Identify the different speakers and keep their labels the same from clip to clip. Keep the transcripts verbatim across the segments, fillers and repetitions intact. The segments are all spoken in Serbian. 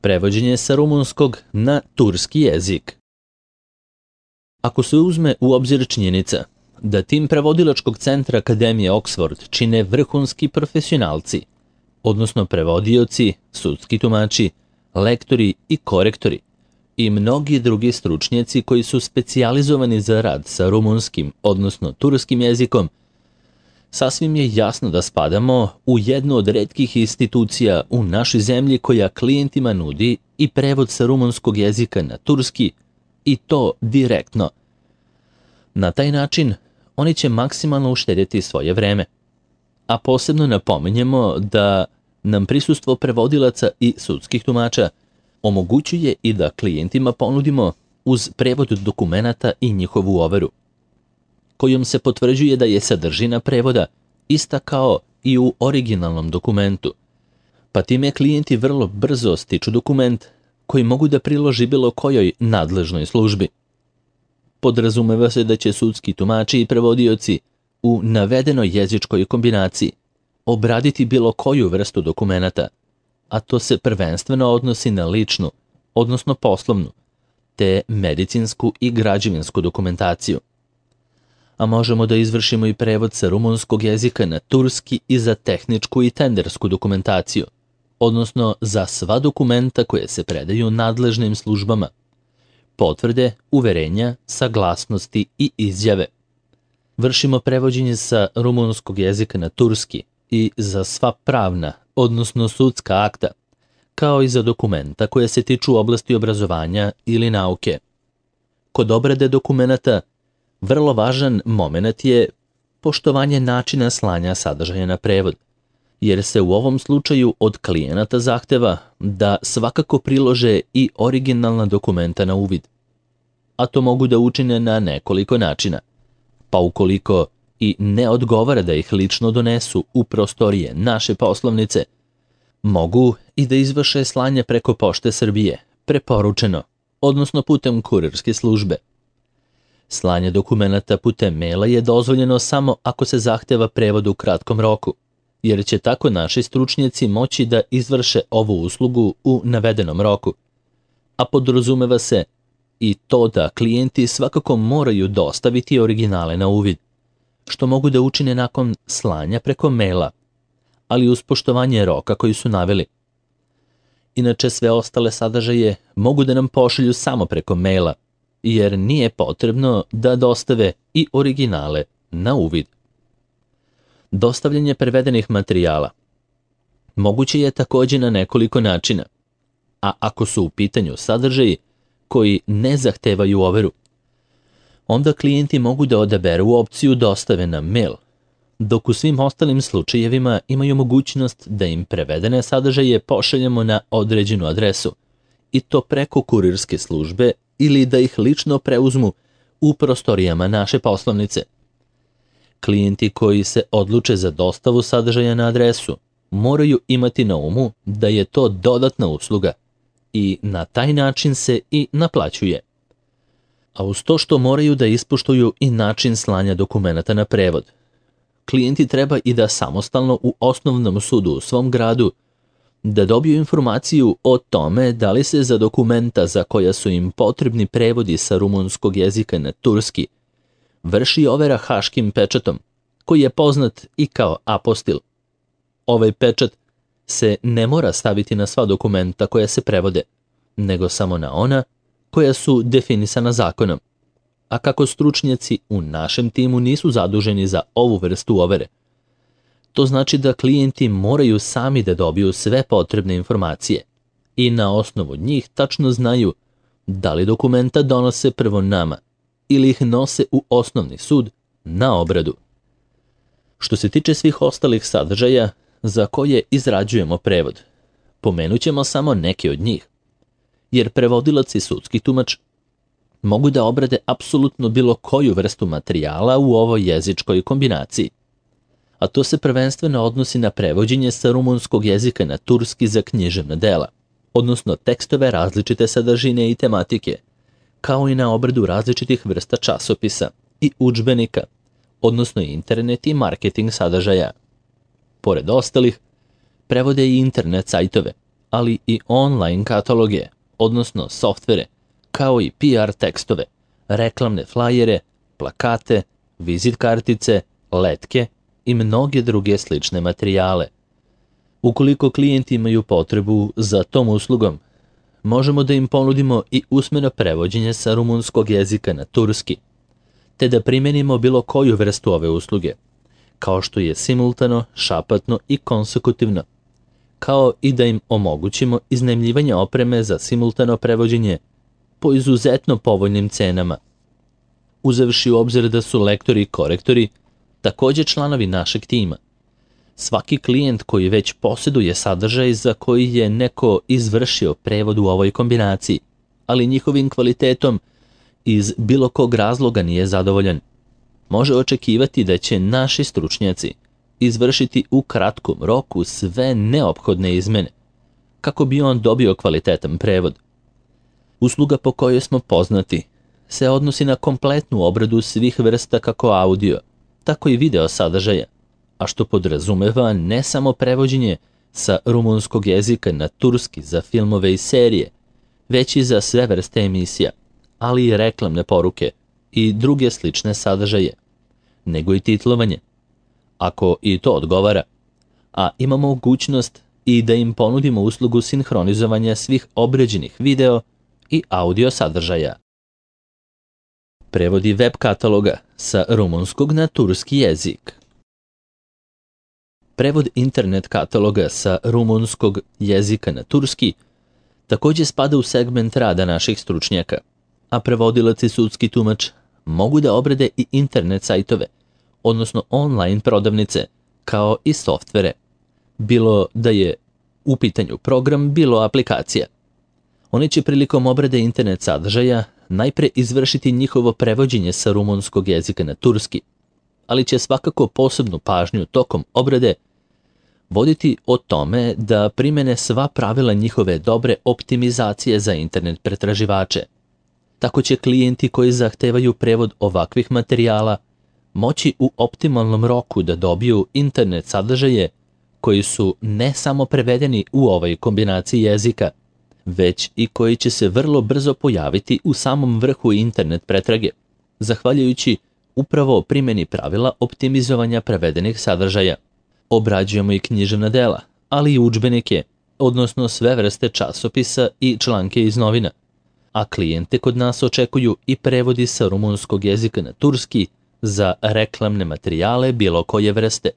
Speaker 1: Prevođenje sa rumunskog na turski jezik. Ako se uzme u obzir činjenica da tim prevodilačkog centra Akademije Oxford čine vrhunski profesionalci, odnosno prevodioci, sudski tumači, lektori i korektori i mnogi drugi stručnjaci koji su specijalizovani za rad sa rumunskim, odnosno turskim jezikom, sasvim je jasno da spadamo u jednu od retkih institucija u našoj zemlji koja klijentima nudi i prevod sa rumunskog jezika na turski i to direktno. Na taj način oni će maksimalno uštedjeti svoje vreme. A posebno napominjemo da nam prisustvo prevodilaca i sudskih tumača omogućuje i da klijentima ponudimo uz prevod dokumenata i njihovu overu, kojom se potvrđuje da je sadržina prevoda ista kao i u originalnom dokumentu, pa time klijenti vrlo brzo stiču dokument koji mogu da priloži bilo kojoj nadležnoj službi. Podrazumeva se da će sudski tumači i prevodioci u navedenoj jezičkoj kombinaciji obraditi bilo koju vrstu dokumenata, a to se prvenstveno odnosi na ličnu, odnosno poslovnu, te medicinsku i građevinsku dokumentaciju. A možemo da izvršimo i prevod sa rumunskog jezika na turski i za tehničku i tendersku dokumentaciju, odnosno za sva dokumenta koje se predaju nadležnim službama, potvrde, uverenja, saglasnosti i izjave. Vršimo prevođenje sa rumunskog jezika na turski i za sva pravna, odnosno sudska akta, kao i za dokumenta koje se tiču oblasti obrazovanja ili nauke. Kod obrade dokumenata vrlo važan moment je poštovanje načina slanja sadržaja na prevod, jer se u ovom slučaju od klijenata zahteva da svakako prilože i originalna dokumenta na uvid. A to mogu da učine na nekoliko načina, pa ukoliko i ne odgovara da ih lično donesu u prostorije naše poslovnice, mogu i da izvrše slanje preko Pošte Srbije, preporučeno, odnosno putem kurirske službe. Slanje dokumenata putem maila je dozvoljeno samo ako se zahteva prevod u kratkom roku, jer će tako naši stručnjaci moći da izvrše ovu uslugu u navedenom roku. A podrazumeva se i to da klijenti svakako moraju dostaviti originale na uvid, što mogu da učine nakon slanja preko maila, ali uz poštovanje roka koji su naveli. Inače, sve ostale sadržaje mogu da nam pošalju samo preko maila, jer nije potrebno da dostave i originale na uvid. Dostavljanje prevedenih materijala moguće je također na nekoliko načina, a ako su u pitanju sadržaji koji ne zahtevaju overu, onda klijenti mogu da odaberu opciju dostave na mail, dok u svim ostalim slučajevima imaju mogućnost da im prevedene sadržaje pošaljemo na određenu adresu, i to preko kurirske službe ili da ih lično preuzmu u prostorijama naše poslovnice. Klijenti koji se odluče za dostavu sadržaja na adresu moraju imati na umu da je to dodatna usluga i na taj način se i naplaćuje. A uz to što moraju da ispoštuju i način slanja dokumenata na prevod, klijenti treba i da samostalno u osnovnom sudu u svom gradu da dobiju informaciju o tome da li se za dokumenta za koja su im potrebni prevodi sa rumunskog jezika na turski vrši overa haškim pečatom, koji je poznat i kao apostil. Ovaj pečat se ne mora staviti na sva dokumenta koja se prevode, nego samo na ona koja su definisana zakonom. A kako stručnjaci u našem timu nisu zaduženi za ovu vrstu overe, to znači da klijenti moraju sami da dobiju sve potrebne informacije i na osnovu njih tačno znaju da li dokumenta donose prvo nama ili ih nose u osnovni sud na obradu. Što se tiče svih ostalih sadržaja za koje izrađujemo prevod, pomenut ćemo samo neke od njih, jer prevodilac i sudski tumač mogu da obrade apsolutno bilo koju vrstu materijala u ovoj jezičkoj kombinaciji. A to se prvenstveno odnosi na prevođenje sa rumunskog jezika na turski za književna dela, odnosno tekstove različite sadržine i tematike, kao i na obradu različitih vrsta časopisa i udžbenika, odnosno internet i marketing sadržaja. Pored ostalih, prevode i internet sajtove, ali i online kataloge, odnosno softvere, kao i P R tekstove, reklamne flajere, plakate, vizit kartice, letke i mnoge druge slične materijale. Ukoliko klijenti imaju potrebu za tom uslugom, možemo da im ponudimo i usmeno prevođenje sa rumunskog jezika na turski, te da primenimo bilo koju vrstu ove usluge, kao što je simultano, šapatno i konsekutivno, kao i da im omogućimo iznajmljivanje opreme za simultano prevođenje po izuzetno povoljnim cenama. Uzevši u obzir da su lektori i korektori takođe članovi našeg tima, svaki klijent koji već posjeduje sadržaj za koji je neko izvršio prevod u ovoj kombinaciji, ali njihovim kvalitetom iz bilo kog razloga nije zadovoljan, može očekivati da će naši stručnjaci izvršiti u kratkom roku sve neophodne izmene, kako bi on dobio kvalitetan prevod. Usluga po kojoj smo poznati se odnosi na kompletnu obradu svih vrsta kako audio, tako i video sadržaja, a što podrazumeva ne samo prevođenje sa rumunskog jezika na turski za filmove i serije, već i za sve vrste emisija, ali i reklamne poruke i druge slične sadržaje, nego i titlovanje, ako i to odgovara, a imamo mogućnost i da im ponudimo uslugu sinhronizovanja svih obrađenih video i audio sadržaja. Prevodi web kataloga sa rumunskog na turski jezik. Prevod internet kataloga sa rumunskog jezika na turski takođe spada u segment rada naših stručnjaka, a prevodilac i sudski tumač mogu da obrade i internet sajtove, odnosno online prodavnice, kao i softvere, bilo da je u pitanju program, bilo aplikacija. Oni će prilikom obrade internet sadržaja najpre izvršiti njihovo prevođenje sa rumunskog jezika na turski, ali će svakako posebnu pažnju tokom obrade voditi o tome da primene sva pravila njihove dobre optimizacije za internet pretraživače. Tako će klijenti koji zahtevaju prevod ovakvih materijala moći u optimalnom roku da dobiju internet sadržaje koji su ne samo prevedeni u ovoj kombinaciji jezika, već i koji će se vrlo brzo pojaviti u samom vrhu internet pretrage, zahvaljujući upravo primjeni pravila optimizovanja prevedenih sadržaja. Obrađujemo i književna dela, ali i udžbenike, odnosno sve vrste časopisa i članke iz novina, a klijente kod nas očekuju i prevodi sa rumunskog jezika na turski za reklamne materijale bilo koje vrste.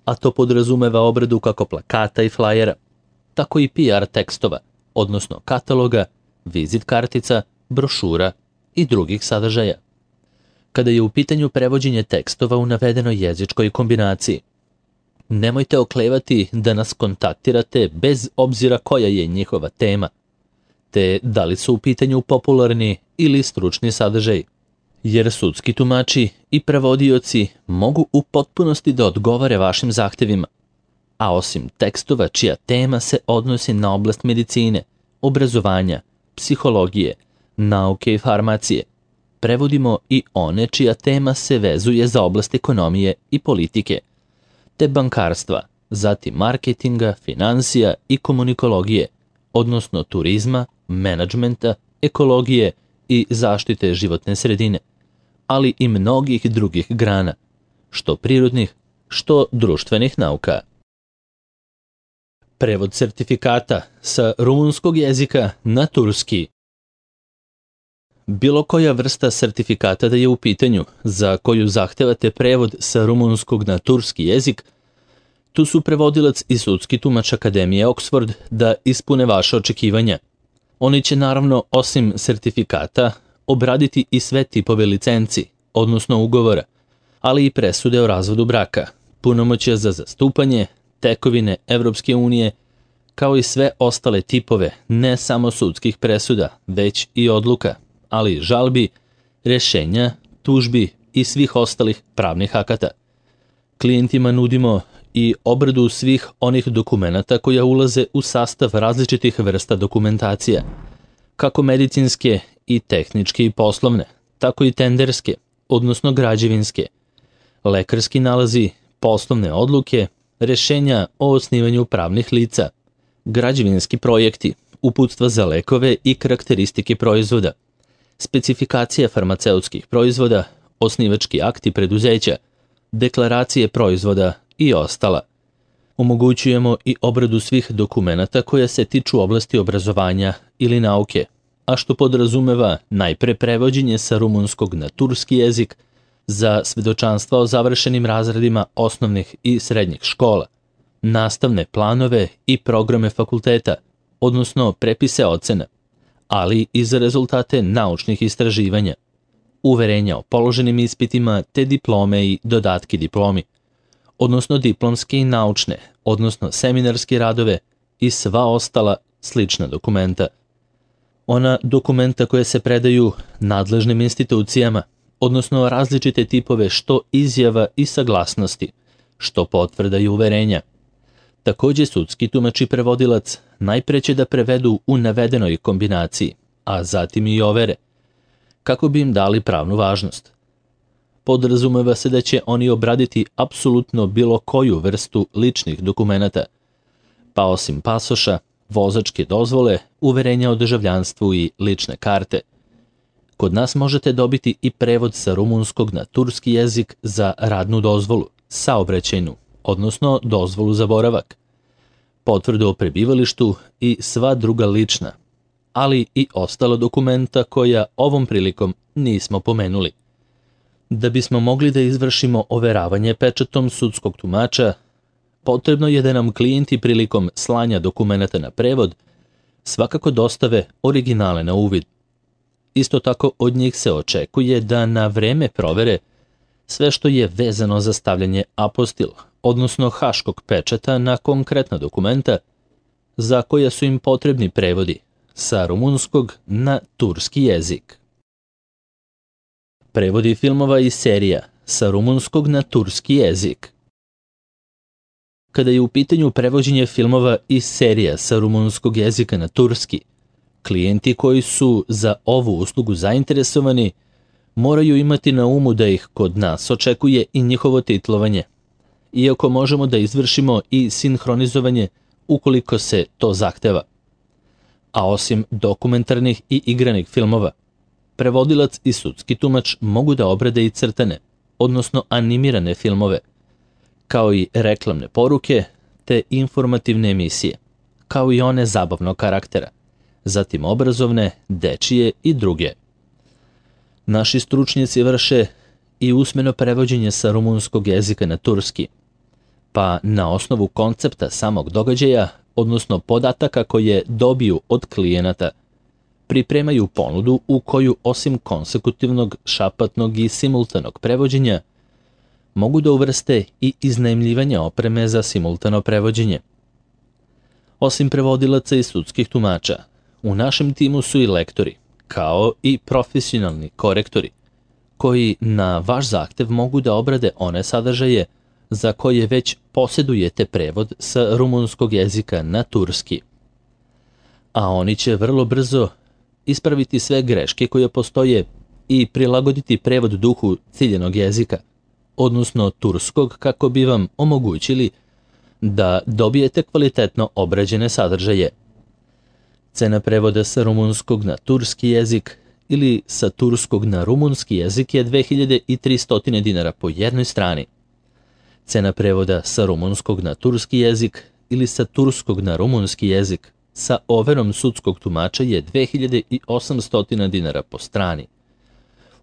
Speaker 1: A to podrazumeva obradu kako plakata i flajera, tako i P R tekstova, odnosno kataloga, vizit kartica, brošura i drugih sadržaja. Kada je u pitanju prevođenje tekstova u navedenoj jezičkoj kombinaciji, nemojte oklevati da nas kontaktirate bez obzira koja je njihova tema, te da li su u pitanju popularni ili stručni sadržaj, jer sudski tumači i prevodioci mogu u potpunosti da odgovore vašim zahtevima, a osim tekstova čija tema se odnosi na oblast medicine, obrazovanja, psihologije, nauke i farmacije, prevodimo i one čija tema se vezuje za oblast ekonomije i politike, te bankarstva, zatim marketinga, finansija i komunikologije, odnosno turizma, menadžmenta, ekologije i zaštite životne sredine, ali i mnogih drugih grana, što prirodnih, što društvenih nauka. Prevod sertifikata sa rumunskog jezika na turski. Bilo koja vrsta sertifikata da je u pitanju za koju zahtevate prevod sa rumunskog na turski jezik, tu su prevodilac i sudski tumač Akademije Oxford da ispune vaše očekivanja. Oni će naravno, osim sertifikata, obraditi i sve tipove licenci, odnosno ugovora, ali i presude o razvodu braka, punomoćja za zastupanje, tekovine Evropske unije, kao i sve ostale tipove ne samo sudskih presuda, već i odluka, ali i žalbi, rešenja, tužbi i svih ostalih pravnih akata. Klijentima nudimo i obradu svih onih dokumenata koja ulaze u sastav različitih vrsta dokumentacija, kako medicinske i tehničke i poslovne, tako i tenderske, odnosno građevinske, lekarski nalazi, poslovne odluke, rešenja o osnivanju pravnih lica, građevinski projekti, uputstva za lekove i karakteristike proizvoda, specifikacije farmaceutskih proizvoda, osnivački akti preduzeća, deklaracije proizvoda i ostala. Omogućujemo i obradu svih dokumenata koja se tiču oblasti obrazovanja ili nauke, a što podrazumeva najpre prevođenje sa rumunskog na turski jezik za svedočanstva o završenim razredima osnovnih i srednjih škola, nastavne planove i programe fakulteta, odnosno prepise ocena, ali i za rezultate naučnih istraživanja, uverenja o položenim ispitima te diplome i dodatki diplomi, odnosno diplomske i naučne, odnosno seminarske radove i sva ostala slična dokumenta. Ona dokumenta koje se predaju nadležnim institucijama, odnosno različite tipove što izjava i saglasnosti, što potvrda i uverenja. Također sudski tumač i prevodilac najpre će da prevedu u navedenoj kombinaciji, a zatim i overe, kako bi im dali pravnu važnost. Podrazumeva se da će oni obraditi apsolutno bilo koju vrstu ličnih dokumenata, pa osim pasoša, vozačke dozvole, uverenja o državljanstvu i lične karte. Kod nas možete dobiti i prevod sa rumunskog na turski jezik za radnu dozvolu, saobraćajnu, odnosno dozvolu za boravak, potvrdu o prebivalištu i sva druga lična, ali i ostala dokumenta koja ovom prilikom nismo pomenuli. Da bismo mogli da izvršimo overavanje pečatom sudskog tumača, potrebno je da nam klijenti prilikom slanja dokumenata na prevod svakako dostave originale na uvid. Isto tako od njih se očekuje da na vreme provere sve što je vezano za stavljanje apostil, odnosno haškog pečata na konkretna dokumenta za koja su im potrebni prevodi sa rumunskog na turski jezik. Prevodi filmova i serija sa rumunskog na turski jezik. Kada je u pitanju prevođenje filmova i serija sa rumunskog jezika na turski, klijenti koji su za ovu uslugu zainteresovani moraju imati na umu da ih kod nas očekuje i njihovo titlovanje, iako možemo da izvršimo i sinhronizovanje ukoliko se to zahteva. A osim dokumentarnih i igranih filmova, prevodilac i sudski tumač mogu da obrade i crtane, odnosno animirane filmove, kao i reklamne poruke te informativne emisije, kao i one zabavnog karaktera, zatim obrazovne, dečije i druge. Naši stručnjaci vrše i usmeno prevođenje sa rumunskog jezika na turski, pa na osnovu koncepta samog događaja, odnosno podataka koje dobiju od klijenata, pripremaju ponudu u koju osim konsekutivnog, šapatnog i simultanog prevođenja mogu da uvrste i iznajmljivanje opreme za simultano prevođenje. Osim prevodilaca i sudskih tumača, u našem timu su i lektori, kao i profesionalni korektori, koji na vaš zahtev mogu da obrade one sadržaje za koje već posjedujete prevod sa rumunskog jezika na turski. A oni će vrlo brzo ispraviti sve greške koje postoje i prilagoditi prevod duhu ciljenog jezika, odnosno turskog, kako bi vam omogućili da dobijete kvalitetno obrađene sadržaje. Cena prevoda sa rumunskog na turski jezik ili sa turskog na rumunski jezik je dve hiljade tristo dinara po jednoj strani. Cena prevoda sa rumunskog na turski jezik ili sa turskog na rumunski jezik sa overom sudskog tumača je dve hiljade osamsto dinara po strani.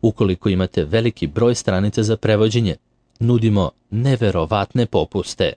Speaker 1: Ukoliko imate veliki broj stranica za prevođenje, nudimo neverovatne popuste.